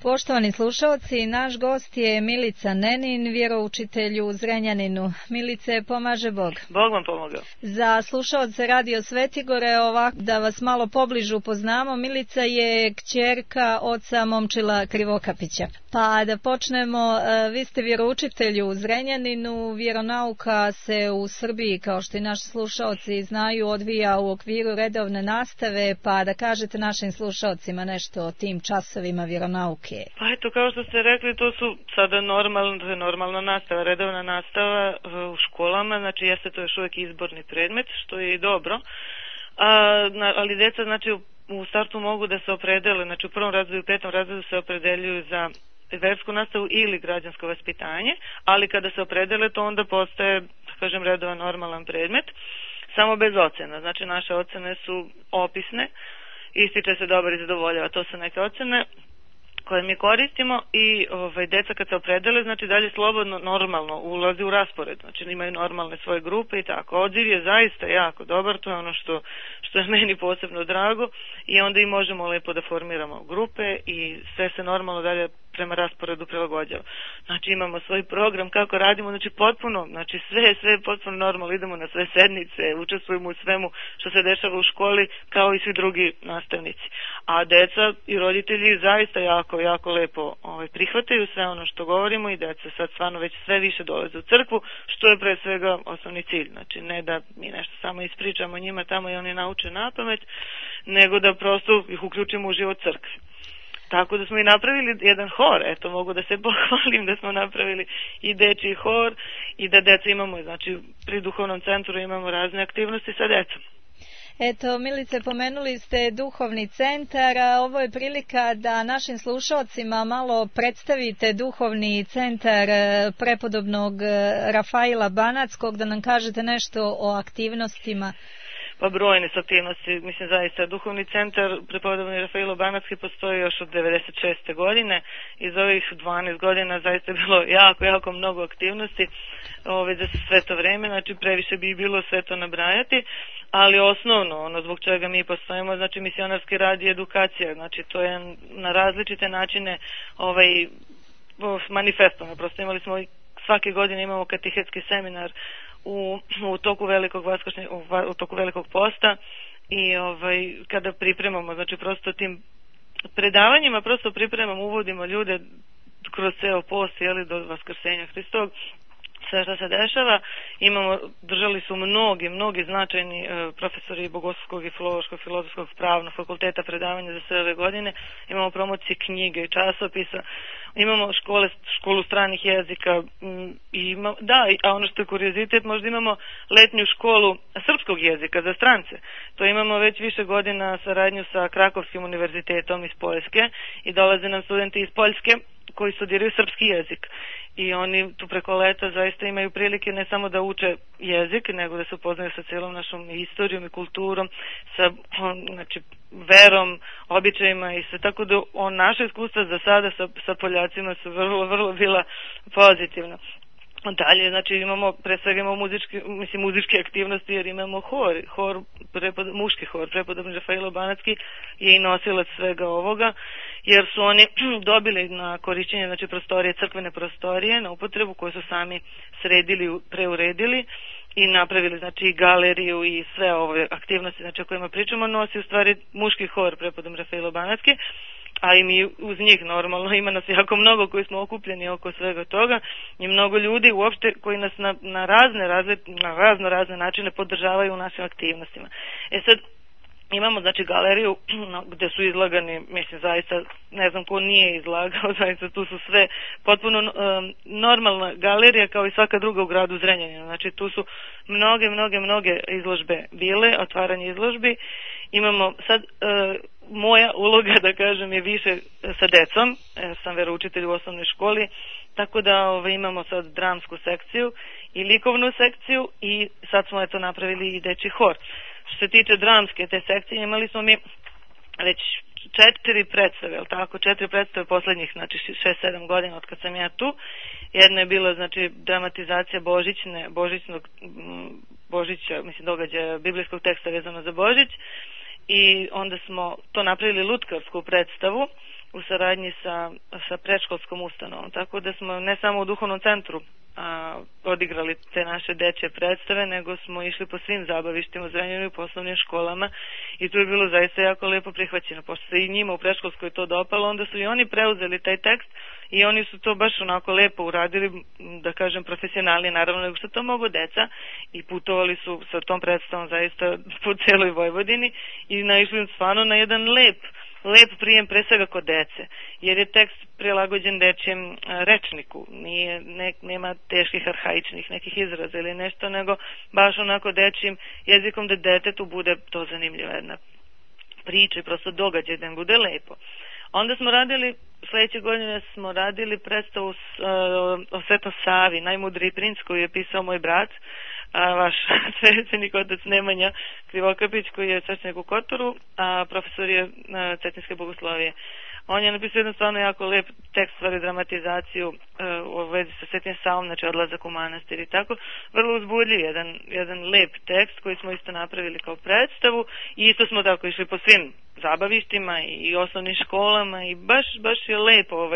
Poštovani slušalci, naš gost je Milica Nenin, vjeroučitelj u Zrenjaninu. Milice, pomaže Bog. Bog vam pomogao. Za slušalce Radio Svetigore, ovako da vas malo pobliže upoznamo, Milica je kćerka oca Momčila Krivokapića. Pa da počnemo, vi ste vjeroučitelj u Zrenjaninu, vjeronauka se u Srbiji, kao što i naši slušalci znaju, odvija u okviru redovne nastave, pa da kažete našim slušalcima nešto o tim časovima vjeronauke. Pa eto, kao što ste rekli, to su sada normalna nastava, redovna nastava u školama, znači jeste to još uvijek izborni predmet, što je i dobro, ali djeca znači u startu mogu da se opredele, znači u prvom razredu i u petom razredu se opredeljuju za versku nastavu ili građansko vaspitanje, ali kada se opredele to onda postaje, da kažem, redovan normalan predmet, samo bez ocena, znači naše ocene su opisne, ističe se dobar i zadovoljava, to su neke ocene koje mi koristimo i deca kad se opredele, znači dalje slobodno, normalno ulazi u raspored, znači imaju normalne svoje grupe i tako. Odziv je zaista jako dobar, to je ono što je meni posebno drago i onda i možemo lepo da formiramo grupe i sve se normalno dalje prema rasporedu prilagođava. Znači imamo svoj program kako radimo, znači potpuno, znači sve je potpuno normalno, idemo na sve sednice, učestvujemo u svemu što se dešava u školi kao i svi drugi nastavnici. A deca i roditelji zaista jako lepo prihvataju sve ono što govorimo i deca sad stvarno već sve više dolaze u crkvu, što je pre svega osnovni cilj. Znači ne da mi nešto samo ispričamo njima tamo i oni nauče napamet, nego da prosto ih uključimo u život crkve. Tako da smo i napravili jedan hor, eto mogu da se pohvalim da smo napravili i dečji hor i da deca imamo, znači pri duhovnom centru imamo razne aktivnosti sa decom. Eto, Milice, pomenuli ste duhovni centar, a ovo je prilika da našim slušalcima malo predstavite duhovni centar prepodobnog Rafaila Banackog, da nam kažete nešto o aktivnostima. Pa brojne su aktivnosti, mislim zaista. Duhovni centar prepodobni Rafailo Banacki postoji još od 96. godine i za ovih 12 godina zaista je bilo jako mnogo aktivnosti za sve to vreme, znači previše bi bilo sve to nabrajati, ali osnovno, ono zbog čega mi postojimo, znači misionarski rad i edukacija, znači to je na različite načine manifestovano, prosto imali smo svake godine imamo katehetski seminar u toku velikog posta i kada pripremamo, znači prosto tim predavanjima prosto pripremamo, uvodimo ljude kroz ceo post do Vaskrsenja Hristovog, sve što se dešava. Držali su mnogi značajni profesori bogoslovskog i filološkog, filozofskog, pravnog fakulteta predavanja za sve ove godine. Imamo promocije knjige i časopisa, imamo školu stranih jezika a ono što je kuriozitet, možda imamo letnju školu srpskog jezika za strance. To imamo već više godina saradnju sa Krakovskim univerzitetom iz Poljske i dolaze nam studenti iz Poljske koji studiraju srpski jezik i oni tu preko leta zaista imaju prilike ne samo da uče jezik, nego da se upoznaju sa celom našom istorijom i kulturom, sa verom, običajima i sve, tako da naše iskustva za sada sa Poljacima su vrlo bila pozitivna. Dalje, znači imamo, pre svega imamo muzičke aktivnosti jer imamo muški hor, prepodobni Rafailo Banacki je i nosilac svega ovoga, jer su oni dobili na korišćenje, znači crkvene prostorije na upotrebu koje su sami sredili, preuredili i napravili, znači galeriju i sve ove aktivnosti, znači o kojima pričamo, nosi u stvari muški hor prepodobni Rafailo Banacki, a i mi uz njih normalno, ima nas jako mnogo koji smo okupljeni oko svega toga i mnogo ljudi uopšte koji nas na razne načine podržavaju u našim aktivnostima. Sad imamo znači galeriju gde su izlagani, mislim zaista ne znam ko nije izlagao, zaista tu su sve potpuno normalna galerija kao i svaka druga u gradu Zrenjaninu, znači tu su mnoge izložbe bile, otvaranje izložbi. Imamo sad, moja uloga da kažem je više sa decom, sam veroučitelj u osnovnoj školi, tako da imamo sad dramsku sekciju i likovnu sekciju i sad smo napravili i dečji hor. Što se tiče dramske te sekcije, imali smo mi već 4 predstave, 4 predstave poslednjih, znači 6-7 godina od kad sam ja tu. Jedna je bila, znači, dramatizacija Božića, mislim, događaja biblijskog teksta vezano za Božić, i onda smo to napravili lutkarsku predstavu u saradnji sa predškolskom ustanovom, tako da smo ne samo u duhovnom centru odigrali te naše dečje predstave, nego smo išli po svim zabavištima u Zrenjaninu i poslovnim školama i tu je bilo zaista jako lepo prihvaćeno. Pošto se i njima u predškolskoj to dopalo, onda su i oni preuzeli taj tekst i oni su to baš onako lepo uradili, da kažem profesionalni, naravno nego što to mogu deca, i putovali su sa tom predstavom zaista po celoj Vojvodini i naišli stvarno na jedan lep prijem pre svega kod dece, jer je tekst prilagođen dečijem rečniku, nema teških arhaičnih nekih izraza ili nešto, nego baš onako dečijim jezikom da detetu bude to zanimljiva jedna priča i prosto događaj da im bude lepo. Onda smo radili, sledeće godine smo radili predstavu o Svetom Savi, najmudriji princ, koju je pisao moj brat, vaš svećenik otac Nemanja Krivokapić, koji je svećenik u Kotoru, a profesor je Cetinjske bogoslovije. On je napisao jedan stvarno jako lep tekst, stvari dramatizaciju u vezi sa Svetim Savom, znači odlazak u manastir i tako, vrlo uzbudljiv, jedan lep tekst koji smo isto napravili kao predstavu i isto smo tako išli po svim zabavištima i osnovnim školama i baš je lepo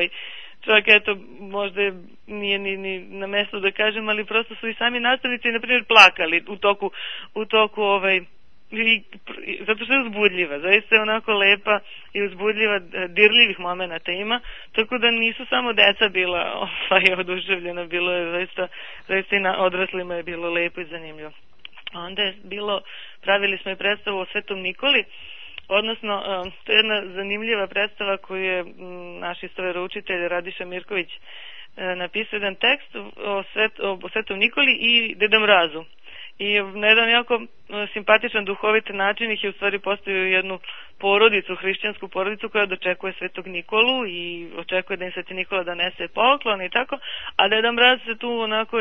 čak eto možda nije ni na mestu da kažem, ali prosto su i sami nastavnici na primjer plakali u toku zato što je uzbudljiva, zaista je onako lepa i uzbudljiva, dirljivih momenata ima, tako da nisu samo deca bila oduševljena, bilo je zaista i na odraslima je bilo lepo i zanimljivo. Onda je pravili smo i predstavu o Svetom Nikoli, odnosno to je jedna zanimljiva predstava koju je naš istoveroučitelj Radiša Mirković napisao jedan tekst o Svetom Nikoli i Deda Mrazu. I na jedan jako simpatičan, duhovit način ih je u stvari postavio jednu porodicu, hrišćansku porodicu koja dočekuje Svetog Nikolu i očekuje da im Sveti Nikola donese poklon i tako, a Deda Mraz se tu onako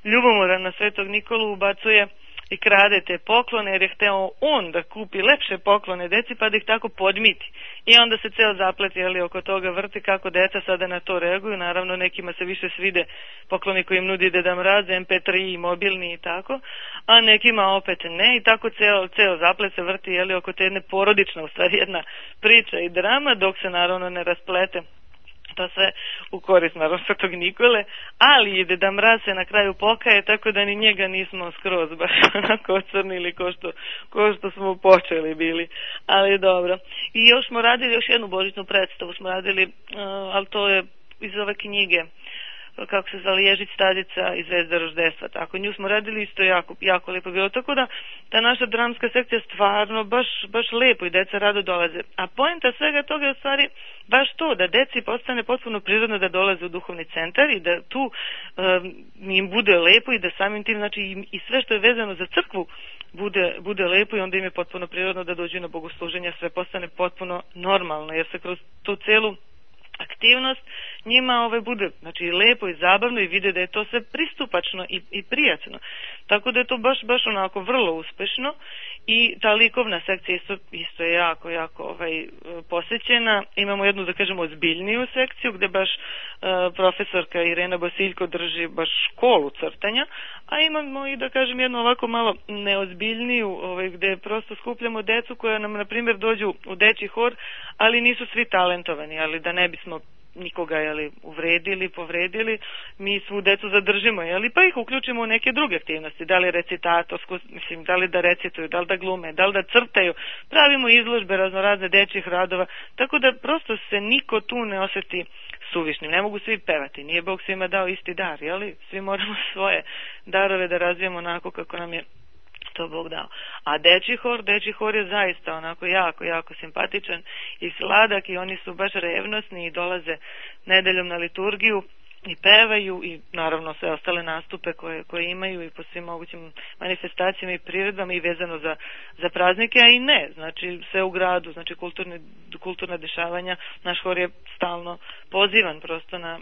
ljubomoran na Svetog Nikolu ubacuje i krade te poklone jer je hteo on da kupi lepše poklone deci pa da ih tako podmiti. I onda se ceo zaplet oko toga vrti kako deca sada na to reaguju. Naravno nekima se više svide pokloni koji im nudi Deda Mraz, MP3 i mobilni i tako, a nekima opet ne i tako ceo zaplet se vrti oko te jedne porodične, u stvari jedna priča i drama, dok se naravno ne rasplete to sve u korist naravno Svetog Nikole, ali i Deda Mraz se na kraju pokaje, tako da ni njega nismo skroz baš onako ocrnili ko što smo počeli bili, ali dobro. I još smo radili još jednu božićnu predstavu, smo radili, ali to je iz ove knjige, kako se zove, Ježić Stadica i Zvezda roždestva, tako, nju smo radili isto jako lepo bilo, tako da ta naša dramska sekcija stvarno baš lepo i deca rado dolaze, a poenta svega toga je u stvari baš to, da deci postane potpuno prirodno da dolaze u duhovni centar i da tu im bude lepo i da samim tim, znači i sve što je vezano za crkvu bude lepo i onda im je potpuno prirodno da dođu na bogosluženja, sve postane potpuno normalno, jer se kroz tu celu aktivnost njima bude znači lepo i zabavno i vide da je to sve pristupačno i prijatno. Tako da je to baš onako vrlo uspešno i ta likovna sekcija isto je jako posećena. Imamo jednu, da kažemo, ozbiljniju sekciju gde baš profesorka Irena Bosiljko drži baš školu crtanja, a imamo i, da kažem, jednu ovako malo neozbiljniju gde prosto skupljamo decu koja nam, na primjer, dođu u dečji hor, ali nisu svi talentovani, ali da ne bismo nikoga uvredili, povredili, mi svu decu zadržimo, pa ih uključimo u neke druge aktivnosti, da li recitatorsko, da li da recituju, da li da glume, da li da crtaju, pravimo izložbe raznorazne dečjih radova, tako da prosto se niko tu ne oseti suvišnim. Ne mogu svi pevati, nije Bog svima dao isti dar, svi moramo svoje darove da razvijemo onako kako nam je to Bog dao. A dečji hor je zaista onako jako simpatičan i sladak i oni su baš revnosni i dolaze nedeljom na liturgiju i pevaju i naravno sve ostale nastupe koje imaju i po svim mogućim manifestacijama i priredbama i vezano za praznike, a i ne, znači sve u gradu, znači kulturna dešavanja, naš hor je stalno pozivan prosto na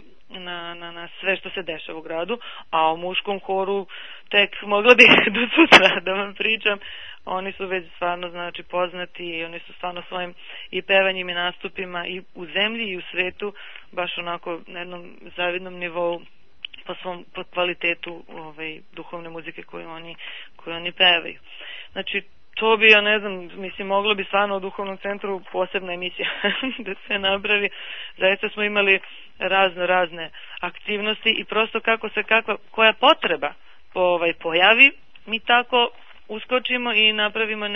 sve što se dešava u gradu, a o muškom horu tek mogla bih do sutra da vam pričam. Oni su već stvarno znači poznati i oni su stvarno svojim i pevanjem i nastupima i u zemlji i u svetu baš onako na jednom zavidnom nivou po kvalitetu duhovne muzike koju oni pevaju. Znači to bi, ja ne znam, mislim, moglo bi stvarno u duhovnom centru posebna emisija da se napravi. Zaista smo imali razne aktivnosti i prosto koja potreba pojavi, mi tako uskočimo i napravimo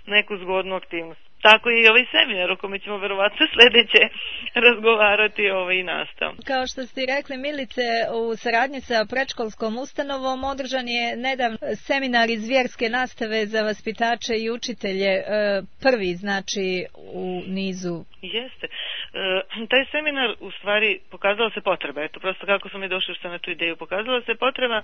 neku zgodnu aktivnost. Tako je i ovaj seminar o kome ćemo verovatno sledeće razgovarati i nastao. Kao što ste rekli, Milice, u saradnji sa predškolskom ustanovom održan je nedavno seminar iz vjerske nastave za vaspitače i učitelje, prvi znači u nizu. Jeste. Taj seminar u stvari pokazala se potreba, eto prosto kako smo mi došli na tu ideju, pokazala se potreba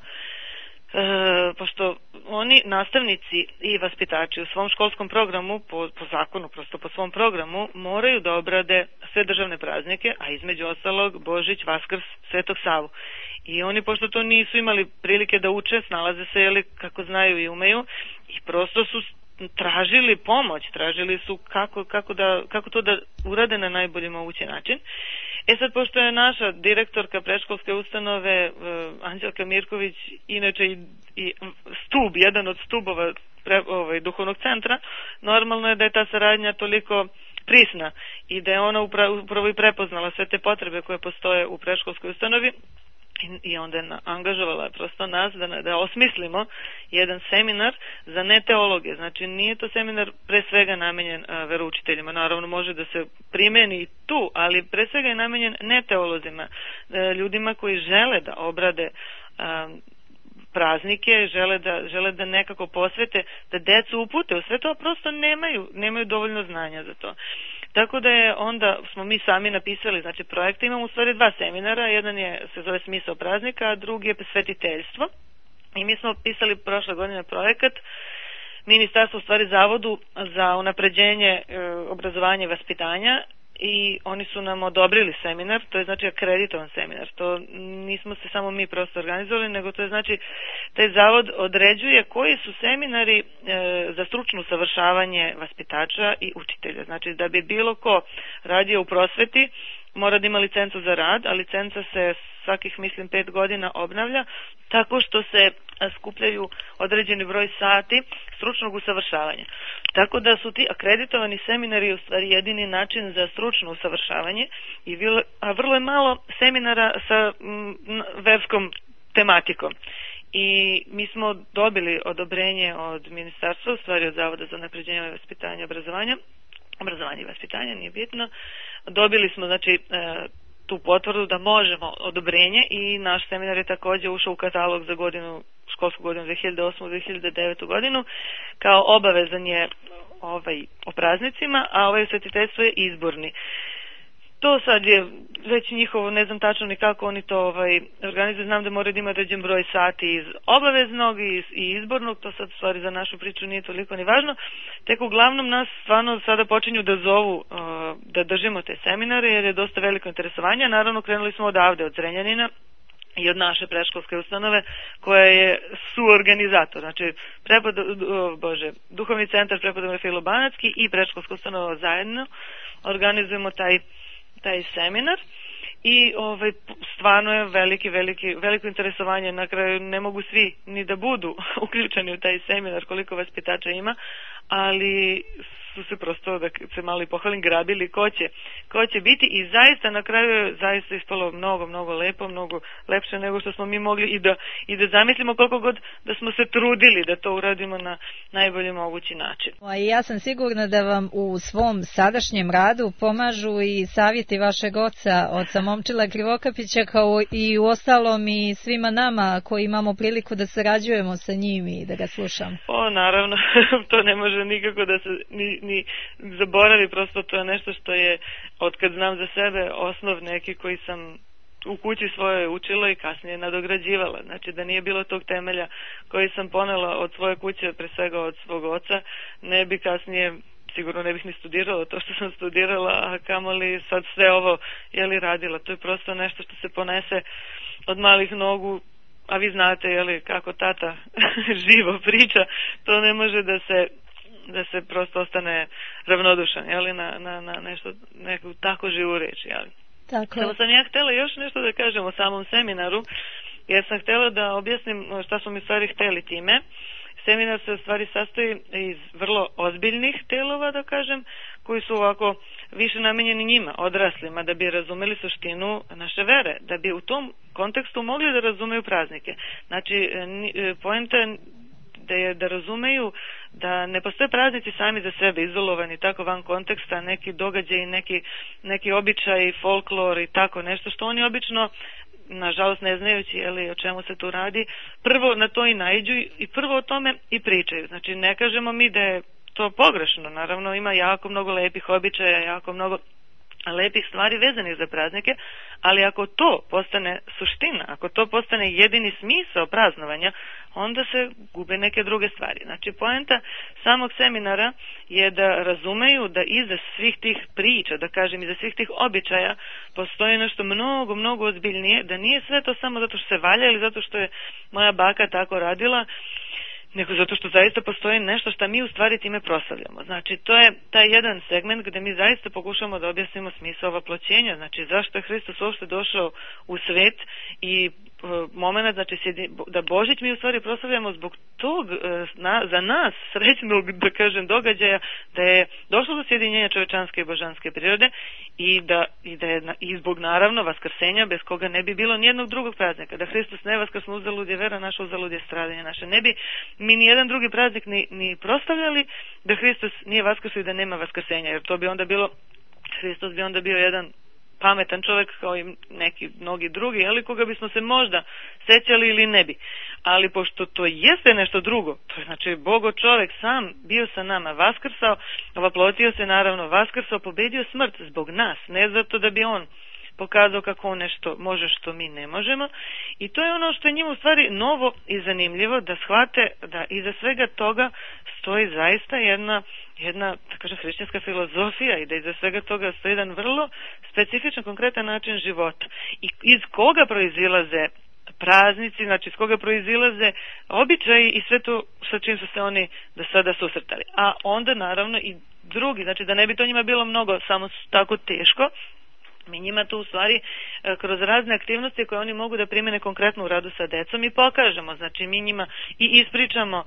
pošto oni nastavnici i vaspitači u svom školskom programu, po zakonu, prosto po svom programu, moraju da obrade sve državne praznike, a između ostalog Božić, Vaskrs, Svetog Savu. I oni, pošto to nisu imali prilike da uče, snalaze se kako znaju i umeju, i prosto su tražili pomoć, tražili su kako to da urade na najbolji mogući način. Sad, pošto je naša direktorka predškolske ustanove Anđelka Mirković inače i jedan od stubova duhovnog centra, normalno je da je ta saradnja toliko prisna i da je ona upravo i prepoznala sve te potrebe koje postoje u predškolskoj ustanovi i onda je angažovala prosto nas da osmislimo jedan seminar za neteologe. Znači nije to seminar pre svega namenjen veroučiteljima, naravno može da se primeni i tu, ali pre svega je namenjen neteolozima, ljudima koji žele da obrade praznike, žele da nekako posvete, da decu upute u sve to, prosto nemaju dovoljno znanja za to. Tako da je onda smo mi sami napisali, znači projekte, imamo u stvari 2 seminara, jedan se zove Smisao praznika, a drugi je Svetiteljstvo. I mi smo pisali prošle godine projekat Ministarstvo, u stvari Zavodu za unapređenje obrazovanja i vaspitanja, i oni su nam odobrili seminar, to je znači akreditovan seminar, to nismo se samo mi prosto organizovali, nego to je znači taj zavod određuje koji su seminari za stručno usavršavanje vaspitača i učitelja. Znači da bi bilo ko radio u prosveti mora da ima licencu za rad, a licenca se svakih, mislim, 5 godina obnavlja, tako što se skupljaju određeni broj sati stručnog usavršavanja. Tako da su ti akreditovani seminari u stvari jedini način za stručno usavršavanje, a vrlo je malo seminara sa verskom tematikom. I mi smo dobili odobrenje od ministarstva, u stvari od Zavoda za unapređenje vaspitanja i obrazovanje i vaspitanje, nije bitno. Dobili smo znači tu potvrdu da možemo odobrenje i naš seminar je takođe ušao u katalog za školsku godinu 2008-2009 godinu, kao obavezan je o praznicima, a ovaj svetiteljstvo je izborni. To sad je već njihovo, ne znam tačno ni kako oni to organizuju, znam da moraju da ima određen broj sati iz obaveznog i izbornog, to sad stvari za našu priču nije toliko ni važno, tek uglavnom nas stvarno sada počinju da zovu da držimo te seminare jer je dosta veliko interesovanje, naravno krenuli smo odavde, od Zrenjanina i od naše predškolske ustanove koja je suorganizator, znači Duhovni centar Prepodobne Filo Banatski i predškolska ustanova zajedno organizujemo taj seminar i stvarno je veliko interesovanje, na kraju ne mogu svi ni da budu uključeni u taj seminar koliko vaspitača ima, ali su se prosto, da se malo i pohvalim, grabili ko će biti i zaista na kraju je zaista ispalo mnogo lepo, mnogo lepše nego što smo mi mogli i da zamislimo koliko god da smo se trudili da to uradimo na najbolji mogući način. Ja sam sigurna da vam u svom sadašnjem radu pomažu i savjeti vašeg oca Momčila Krivokapića, kao i u ostalom i svima nama koji imamo priliku da sarađujemo sa njim i da ga slušamo. Naravno, to ne može nikako da se ni zaboravi, prosto to je nešto što je, otkad znam za sebe, osnov neki koji sam u kući svoje učila i kasnije nadograđivala. Znači da nije bilo tog temelja koji sam ponela od svoje kuće, pre svega od svog oca, ne bi kasnije, sigurno ne bih ni studirala to što sam studirala, a kamoli sad sve ovo radila. To je prosto nešto što se ponese od malih nogu, a vi znate kako tata živo priča, to ne može da se prosto ostane ravnodušan na neku tako živu reč. Samo sam ja htjela još nešto da kažem o samom seminaru, jer sam htjela da objasnim šta smo mi stvari htjeli time. seminar se u stvari sastoji iz vrlo ozbiljnih delova, da kažem, koji su ovako više namenjeni njima, odraslima, da bi razumeli suštinu naše vere, da bi u tom kontekstu mogli da razumeju praznike. Znači, poenta je da razumeju da ne postoje praznici sami za sebe, izolovani tako van konteksta, neki događaj, neki običaj, folklor i tako nešto što oni obično, nažalost ne znajući o čemu se tu radi, prvo na to i naiđu i prvo o tome i pričaju. Znači, ne kažemo mi da je to pogrešno, naravno ima jako mnogo lepih običaja, jako mnogo lepih stvari vezanih za praznike, ali ako to postane suština, ako to postane jedini smisao praznovanja, onda se gube neke druge stvari. Znači, poenta samog seminara je da razumeju da iza svih tih priča, da kažem, iza svih tih običaja postoji nešto mnogo, mnogo ozbiljnije, da nije sve to samo zato što se valja ili zato što je moja baka tako radila, nego zato što zaista postoji nešto što mi u stvari time proslavljamo. Znači, to je taj jedan segment gde mi zaista pokušamo da objasnimo smisao vaploćenja, znači zašto je Hristos uopšte došao u svet i moment, znači da Božić mi u stvari proslavljamo zbog tog za nas srećnog, da kažem, događaja, da je došlo do sjedinjenja čovečanske i božanske prirode i zbog naravno vaskrsenja, bez koga ne bi bilo nijednog drugog praznika. Da Hristos ne vaskrsno, uzalud je vera naša, uzalud je stradanje naše. Ne bi mi nijedan drugi praznik ni proslavljali da Hristos nije vaskrsao i da nema vaskrsenja, jer to bi onda bilo, Hristos bi onda bio jedan pametan čovjek kao i neki mnogi drugi, ali koga bismo se možda sećali ili ne bi. Ali pošto to jeste nešto drugo, to je znači Bogo čovjek sam bio sa nama, vaskrsao, vaplotio se naravno, vaskrsao, pobedio smrt zbog nas, ne zato da bi on pokazao kako on nešto može što mi ne možemo, i to je ono što je njima u stvari novo i zanimljivo, da shvate da iza svega toga stoji zaista jedna da kažem, hrišćanska filozofija i da iza svega toga stoji jedan vrlo specifičan, konkretan način života i iz koga proizilaze praznici, znači iz koga proizilaze običaji i sve to sa čim su se oni do sada susretali. A onda naravno i drugi, znači da ne bi to njima bilo mnogo samo tako teško, mi njima tu u stvari kroz razne aktivnosti koje oni mogu da primene konkretno u radu sa decom i pokažemo, znači mi njima i ispričamo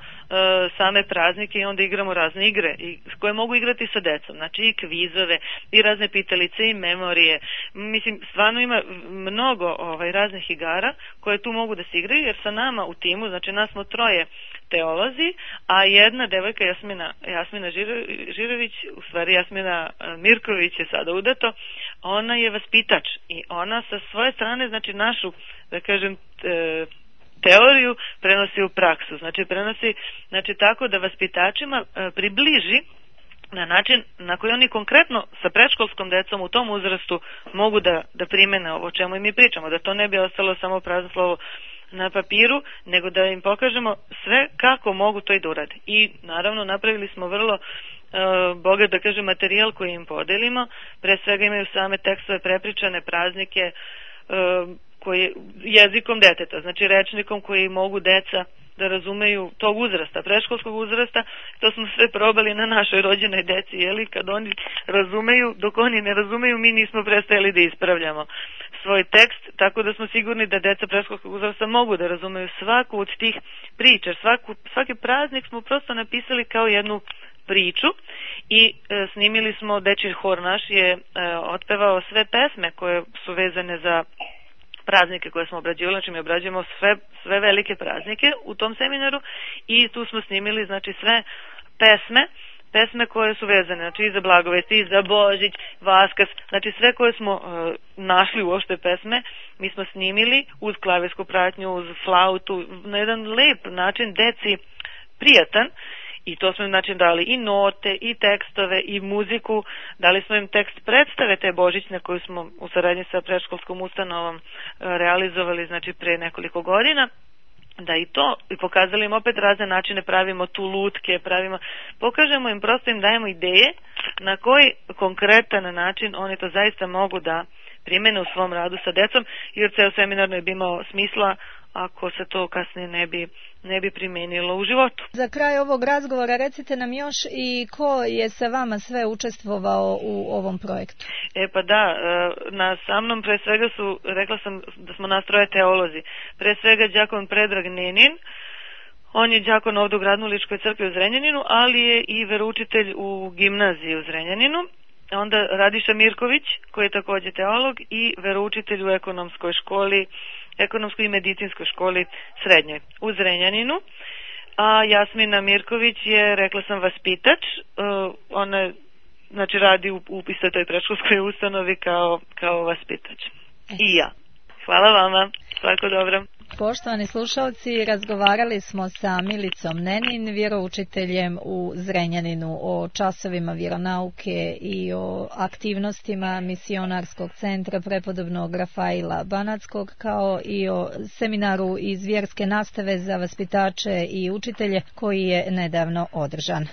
same praznike i onda igramo razne igre koje mogu igrati sa decom, znači i kvizove i razne pitalice i memorije. Mislim, stvarno ima mnogo raznih igara koje tu mogu da se igraju, jer sa nama u timu, znači nas smo troje teolozi, a jedna devojka Jasmina Žirović, u stvari Jasmina Mirković je sada udato, ona je vaspitač i ona sa svoje strane, znači našu, da kažem, teoriju prenosi u praksu, znači tako da vaspitačima približi na način na koji oni konkretno sa predškolskom decom u tom uzrastu mogu da primene ovo o čemu i mi pričamo, da to ne bi ostalo samo prazno slovo na papiru, nego da im pokažemo sve kako mogu to i da urade. I naravno napravili smo vrlo bogat, da kažem, materijal koji im podelimo. Pre svega imaju same tekstove, prepričane praznike jezikom deteta, znači rečnikom koji mogu deca da razumeju tog uzrasta, predškolskog uzrasta. To smo sve probali na našoj rođenoj deci, kad oni razumeju, dok oni ne razumeju, mi nismo prestajali da ispravljamo svoj tekst, tako da smo sigurni da deca predškolskog uzrasta mogu da razumeju svaku od tih priča. Svaki praznik smo prosto napisali kao jednu priču i snimili smo, dečji hor naš je otpevao sve pesme koje su vezane za praznike koje smo obrađivali, znači mi obrađujemo sve velike praznike u tom seminaru i tu smo snimili, znači, sve pesme koje su vezane, znači i za Blagovest, i za Božić, Vaskrs, znači sve koje smo našli uopšte pesme, mi smo snimili uz klavijsku pratnju, uz flautu, na jedan lep način, deci prijatan. I to smo im, znači, dali i note, i tekstove, i muziku, dali smo im tekst predstave te božićne koju smo u saradnji sa predškolskom ustanovom realizovali, znači, pre nekoliko godina, da i to, i pokazali im opet razne načine, pravimo tu lutke, pokažemo im, prosto im dajemo ideje na koji konkretan način oni to zaista mogu da primene u svom radu sa decom, jer ceo seminar ne bi imao smisla ako se to kasnije ne bi primenilo u životu. Za kraj ovog razgovora recite nam još i ko je sa vama sve učestvovao u ovom projektu. Pa da, sa mnom pre svega rekla sam da smo nas troje teolozi. Pre svega đakon Predrag Nenin, On je đakon ovdje u Gradno-Ličkoj crkvi u Zrenjaninu, ali je i veroučitelj u gimnaziji u Zrenjaninu. Onda Radiša Mirković, koji je također teolog i veroučitelj u ekonomskoj školi, ekonomskoj i medicinskoj školi srednjoj u Zrenjaninu. A Jasmina Mirković je, rekla sam, vaspitač. Ona znači radi u istoj toj predškolskoj ustanovi kao vaspitač. I ja. Hvala vama. Svako dobro. Poštovani slušalci, razgovarali smo sa Milicom Nenin, vjeroučiteljem u Zrenjaninu, o časovima vjeronauke i o aktivnostima misionarskog centra prepodobnog Rafaila Banackog, kao i o seminaru iz vjerske nastave za vaspitače i učitelje koji je nedavno održan.